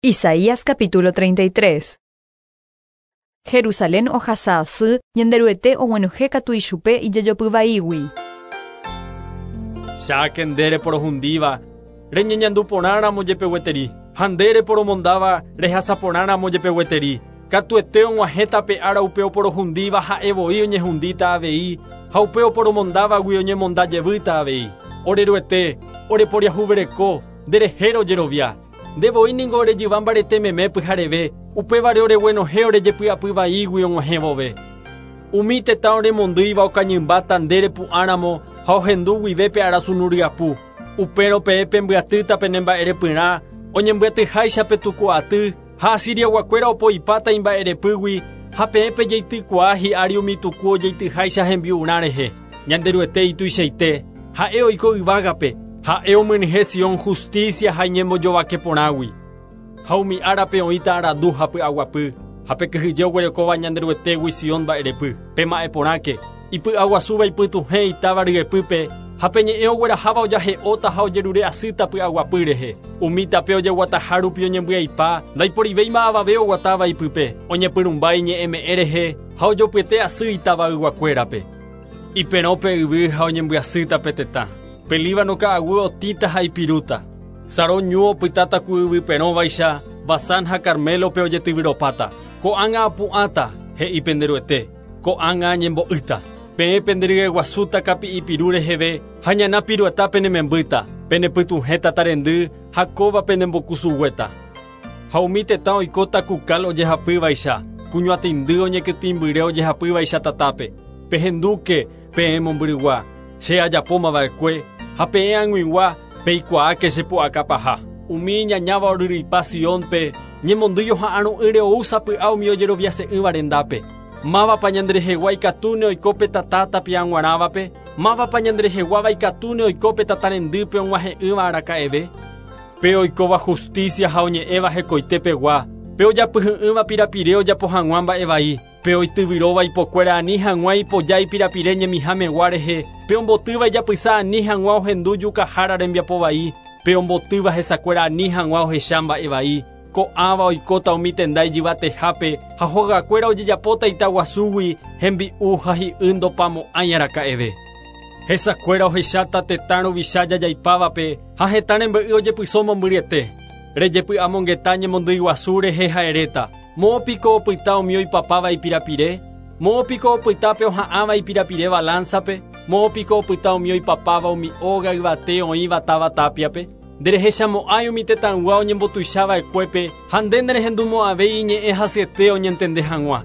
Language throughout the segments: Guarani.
Isaías capítulo 33. Jerusalén ohasa asy, Ñanderuete oguenohẽ katu ichupe ijejopy vaígui. Cháke nde reporohundíva, reñeñandu porã ramo jepe gueteri, ha nde reporomondáva rehasa porã ramo jepe gueteri. Katuete og̃uahẽta pe ára upe oporohundíva ha'e voi oñehundíta avei, ha upe oporomondávagui oñemonda jevýta avei. Ore Ruete, oreporiahuvereko, nderehe rojerovia. Nde voi ningo ore jyva mbarete meme pyhareve, upévare oreguenohẽ ore jepy'apy vaígui og̃uahẽ vove. Umi tetã oremondýiva okañymbáta nde repu'ãramo ha ohendu guive pe arasunu ryapu. Upérõ peẽ pembyatýta pene mba'erepyrã, oñembyatyháicha pe tuku aty, ha Asiriaguakuéra opoipáta imba'erepýgui, ha peẽ pejeitykuaa hi'ári umi tuku ojeityháicha hembi'urã rehe. Ñanderuete ituichaite, ha'e oiko yvágape, ha'e omyenyhẽ Sion hustísia ha iñembojovake porãgui. Ha umi árape oĩta arandu ha py'aguapy, ha pe kyhyje oguerekóva Ñanderuetégui Sion mba'erepy. Pema'ẽ porãke, ipy'aguasúva ipytuhẽ itáva ryepýpe, ha pe ñe'ẽ ogueraháva ojahe'óta ha ojerure asýta py'aguapy rehe. Umi tape ojeguataha rupi oñembyaipa, ndaiporivéima avave oguatáva ipype, oñepyrũmba iñe'ẽme'ẽ rehe ha ojopyete asy itavayguakuérape. Iperõ pe yvy ha oñembyasýta pe tetã. Pe Líbano ka'aguy otĩta ha ipirúta. Sarón ñu opytáta ku yvy perõvaicha, Basán ha Carmélope ojetyvyropáta. Ko'ág̃a apu'ãta, he'i pende Ruete, ko'ág̃a añembo'ýta. Peẽ penderyeguasúta kapi'i piru reheve ha ñana pirueta penemembýta, penepytuhẽ tatarendy ha kóva penembokusuguéta. Ha umi tetã oikóta ku kal ojehapývaicha, ku ñuatĩndy oñekytĩmbyre ojehapývaicha tatápe. Pehendúke, peẽ mombyrygua, che ajapóma va'ekue, ha peẽ ag̃uigua, peikuaáke che pu'aka paha. Umi iñañáva oryryipa Siónpe, ñemondýi oha'arõ'ỹre ou sapy'a umi ojeroviase'ỹva rendápe. Mávapa ñanderehegua ikatúne oiko pe tata tapia g̃uarãvape? Mávapa ñandereheguáva ikatúne oiko pe tata rendýpe og̃uahẽ'ỹva araka'eve? Pe oikóva hustísia ha oñe'ẽva hekoite pegua, pe ojapyhy'ỹva pirapire ojapo hag̃ua mba'e vai, pe oityvyróva ipokuéra ani hag̃ua ipoja ipirapire ñemiha megua rehe, pe ombotýva ijapysa ani hag̃ua ohendu jukahára rembiapo vai, pe ombotýva hesakuéra ani hag̃ua ohecha mba'e vai, ko'ãva oikóta umi tenda ijyvatehápe ha hogakuéra ojejapóta ita guasúgui, hembi'u ha hi'y ndopamo'ãi araka'eve. Hesakuéra ohecháta tetã ruvicha jajaipávape ha hetã rembe'y ojepyso mombyryete. Rejepy'amongeta ñemondýi guasu rehe ha eréta, Moõ piko opyta umi oipapáva ipirapire? Moõ piko opyta pe oha'ãva ipirapire balánzape? Moõ piko opyta umi oipapáva umi óga yvate oĩva táva tápiape? Nderehechamo'ãi umi tetãygua oñembotuicha va'ekuépe ha nde nerehendumo'ãvéi iñe'ẽ hasyete oñentende hag̃ua.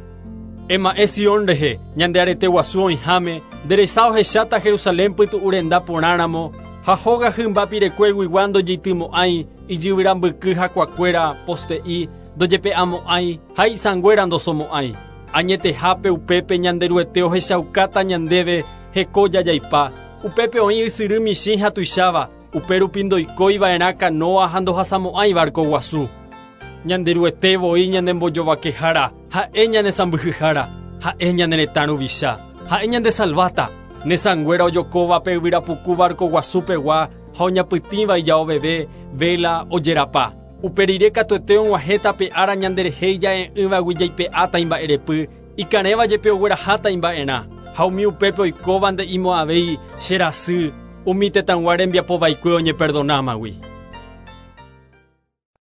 Ema'ẽ Sion rehe, ñande arete guasu oĩháme, nde resa ohecháta Jerusalén pytu'u renda porãramo, ha hóga hymba pirekueguigua ndojeitymo'ãi, ijyvyra mbyky hakuakuéra, poste'i, ndojepe'amo'ãi ha isãnguéra ndosomo'ãi. Añetehápe upépe Ñanderuete ohechaukáta ñandéve heko jajaipa. Upépe oĩ ysyry michĩ ha tuicháva, upérupi ndoikói va'erã kanóa ha ndohasamo'ãi várko guasu. Ñanderuete voi ñanembojovakehára, ha'e ñane sãmbyhyhára, ha'e ñane retã ruvicha, ha'e ñandesalváta. Ne sãnguéra ojokóva pe yvyra puku várko guasu pegua ha oñapytĩva ijaoveve, véla, ojerapa. Upe rire katuete og̃uahẽta pe ára ñanderehe ija'e'ỹvagui jaipe'áta imba'erepy, ikarẽva jepe ogueraháta imba'erã. Ha umi upépe oikóva nde'imo'ãvéi, Che rasy, umi tetãygua rembiapo vaikue oñeperdonámagui.